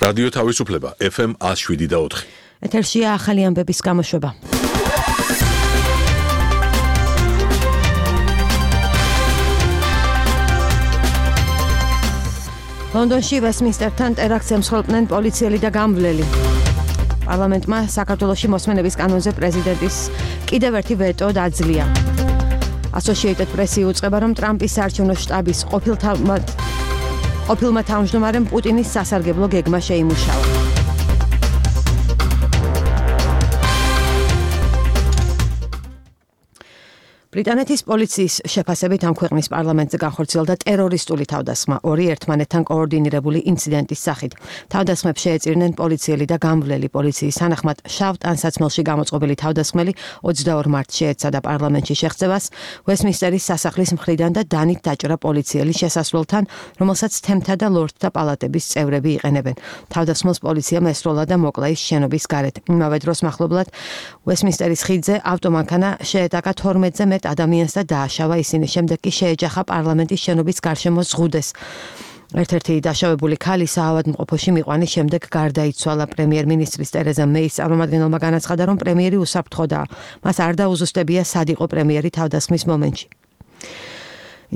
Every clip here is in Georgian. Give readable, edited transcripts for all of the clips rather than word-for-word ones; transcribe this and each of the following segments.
რადიო თავისუფლება FM 107.4. ეთერშია ახალი ამბების გამოშვება. ლონდონში ვესტმინსტერთან ტერაქტს ემსხვერპლნენ პოლიციელი და გამვლელი. პარლამენტმა საქართველოში მოსმენების კანონზე პრეზიდენტის კიდევ ერთი ვეტო დაძლია. Associated Press იუწყება, რომ ტრამპის საარჩევნო შტაბის ყოფილმა თავმჯდომარემ პუტინის სასარგებლო გეგმა შეიმუშავა. ბრიტანეთის პოლიციის შეფასებით ამ ქვეყნის პარლამენტზე განხორციელდა ტერორისტული თავდასხმა ორი ერთმანეთთან კოორდინირებული ინციდენტის სახით. თავდასხმებს შეეწირნენ პოლიციელი და გამვლელი. პოლიციის თანახმად შავ ტანსაცმელში გამოწყობილი თავდასხმელი 22 მარტს შეეცადა პარლამენტში შეღწევას ვესტმინსტერის სასახლის მხრიდან და დანით დაჭრა პოლიციელი შესასვლელთან, რომელსაც თემთა და ლორდთა პალატების წევრები იყენებენ. თავდასხმელს პოლიციამ ესროლა და მოკლა ის შენობის გარეთ. იმავე დროს მახლობლად ვესტმინსტერის ხიდზე ავტომანქანა შეეტაკა 12-ზე მეტ ადამიანს და დააშავა ისინი. შემდეგ კი შეეჯახა პარლამენტის შენობის გარშემო ზღუდეს. ერთ-ერთი დაშავებული ქალი საავადმყოფოში მიყვანის შემდეგ გარდაიცვალა. პრემიერ-მინისტრის ტერეზა მეის წარმომადგენელმა განაცხადა, რომ პრემიერი უსაფრთხოდაა. მას არ დაუზუსტებია სად იყო პრემიერი თავდასხმის მომენტში.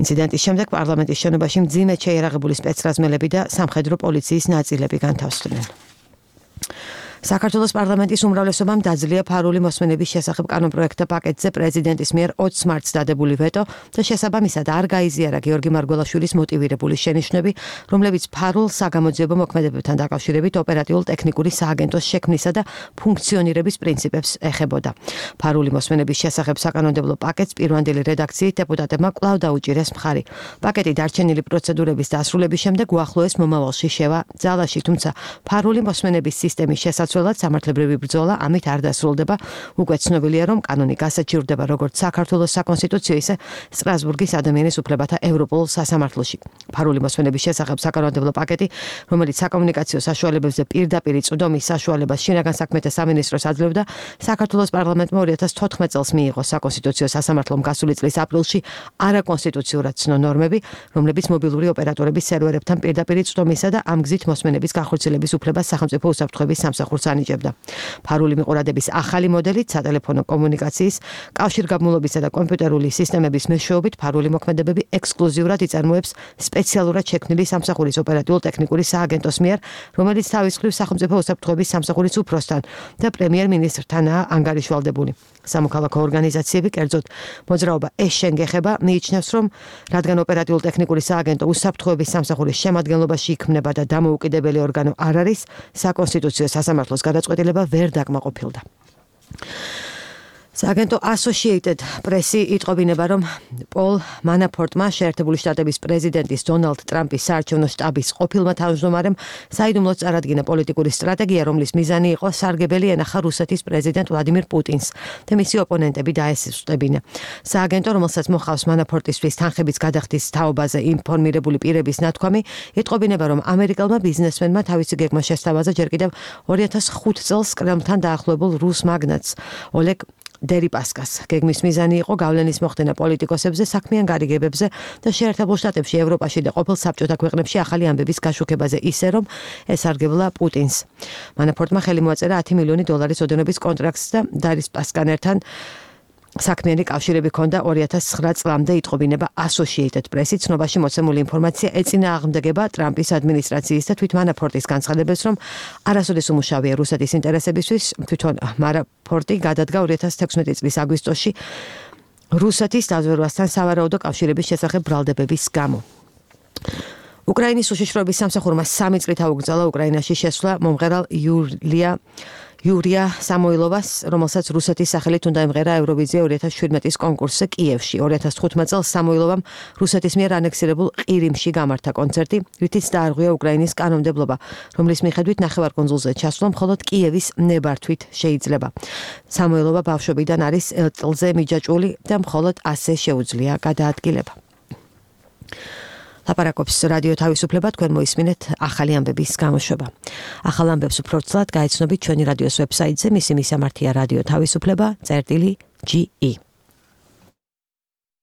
ინციდენტის შემდეგ პარლამენტის შენობაში მძიმედ შეიარაღებული სპეცრაზმელები და სამხედრო პოლიციის ნაწილები განთავსდნენ. საქართველოს პარლამენტის უმრავლესობამ დაძლია ფარული მოსმენების შესახებ კანონპროექტთა პაკეტზე პრეზიდენტის მიერ 20 მარტს დადებული ვეტო და შესაბამისად არ გაიზიარა გიორგი მარგველაშვილის მოტივირებული შენიშვნები, რომლებიც ფარულ საგამოძიებო მოქმედებებთან დაკავშირებით ოპერატიულ ტექნიკური სააგენტოს შექმნისა და ფუნქციონირების პრინციპებს ეხებოდა. ფარული მოსმენების შესახებ საკანონმდებლო პაკეტს პირვანდელი რედაქციით დეპუტატებმა კვლავ დაუჭირეს მხარი. პაკეტი დარჩენილი პროცედურების დასრულების შემდეგ უახლოეს მომავალში შევა ძალაში, თუმცა ფარული მოსმენების სისტემის შესაძლებლად სამართლებრივი ბრძოლა ამით არ დასრულდება. უკვე ცნობილია, რომ კანონი გასაჩივრდება როგორც საქართველოს საკონსტიტუციო, ისე სტრასბურგის ადამიანის უფლებათა ევროპულ სასამართლოში. ფარული მოსმენების შესახებ საკანონმდებლო პაკეტი, რომელიც საკომუნიკაციო საშუალებებზე პირდაპირ წვდომის საშუალებას შინაგან საქმეთა სამინისტროს აძლევდა, საქართველოს პარლამენტმა 2014 წელს მიიღო საკონსტიტუციო სასამართლომ გასული წლის აპრილში არაკონსტიტუციურად ცნო ნორმები, რომლებიც მობილური ოპერატორების სერვერებთან პირდაპირ წვდომისა და ამ გზით მოსმენების განხორციელების უფლებას სახელმწიფო უსაფრთხოების სამსახურს ანიჭებდა. ფარული მიყურადების ახალი მოდელით სატელეფონო კომუნიკაციის, კავშირგაბმულობისა და კომპიუტერული სისტემების მეშვეობით ფარული მოქმედებები ექსკლუზიურად იწარმოებს სპეციალურად შექმნილი სამსახურის ოპერატიულ ტექნიკური სააგენტოს მიერ, რომელიც თავის მხრივ სახელმწიფო უსაფრთხოების სამსახურის უფროსთან და პრემიერ-მინისტრთანაა ანგარიშვალდებული. სამოქალაქო ორგანიზაციები, კერძოდ მოძრაობა ეს შენგეხება, მიიჩნევს, რომ რადგან ოპერატიულ ტექნიკური სააგენტო უსაფრთხოების სამსახურის შემადგენლობაში იქმნება და დამოუკიდებელი ორგანო არ არის, საკონსტიტუციო სასამართლოს გადაწყვეტილება ვერ დაკმაყოფილდა. სააგენტო Associated Press-ი იტყობინება, რომ პოლ მანაფორტმა შეერთებული შტატების პრეზიდენტის დონალდ ტრამპის საარჩევნო შტაბის ყოფილმა თავმჯდომარემ საიდუმლოდ წარადგინა პოლიტიკური სტრატეგია, რომლის მიზანი იყო სარგებელი ენახა რუსეთის პრეზიდენტ ვლადიმირ პუტინს და მისი ოპონენტები დაესუსტებინა. სააგენტო, რომელსაც მოხავს მანაფორტისთვის თანხების გადახდის თაობაზე ინფორმირებული პირების ნათქვამი, იტყობინება, რომ ამერიკელმა ბიზნესმენმა თავისი გეგმა შესთავაზა ჯერ კიდევ 2005 წელს კრემლთან დაახლოებულ რუს მაგნატს ოლეგ დერიპასკას. გეგმის მიზანი იყო გავლენის მოხდენა პოლიტიკოსებზე, საქმიან გარიგებებზე და შეერთებულ შტატებში, ევროპაში და ყოფილ საბჭოთა ქვეყნებში ახალი ამბების გაშუქებაზე ისე, რომ ესარგებლა პუტინს. მანაფორტმა ხელი მოაწერა 10 მილიონი დოლარის ოდენობის კონტრაქტს და დერიპასკასთან ერთად საქმიანი კავშირები ჰქონდა 2009 წლამდე. იტყობინება Associated Press-ი ცნობაში მოცემული ინფორმაცია ეწინააღმდეგება ტრამპის ადმინისტრაციის და თვით მანაფორტის განცხადებებს, რომ არასოდეს უმუშავია რუსეთის ინტერესებისთვის. თვითონ მანაფორტი გადადგა 2016 წლის აგვისტოში რუსეთის დაზვერვასთან სავარაუდო კავშირების შესახებ ბრალდებების გამო. უკრაინის უშიშროების სამსახურმა 3 წლით აუგზავნა უკრაინაში შესვლა მომღერალ იურია სამოილოვას, რომელსაც რუსეთის სახელით უნდა ემღერა ევროვიზია 2017-ის კონკურსზე კიევში. 2015 წელს სამოილოვამ რუსეთის მიერ ანექსირებულ ყირიმში გამართა კონცერტი, რითიც დაარღვია უკრაინის კანონმდებლობა, რომლის მიხედვით ნახევარკუნძულზე ჩასვლა მხოლოდ კიევის ნებართვით შეიძლება. სამოილოვა ბავშვობიდან არის ელტლზე მიჯაჭვული და მხოლოდ ასე შეუძლია გადაადგილება. ლაპარაკობს რადიო თავისუფლება, თქვენ მოისმინეთ ახალი ამბების გამოშვება. ახალ ამბებს უფრო ცლად გაიცნობით ჩვენი რადიოს ვებსაიტზე, მისი მისამართია რადიო თავისუფლება.ge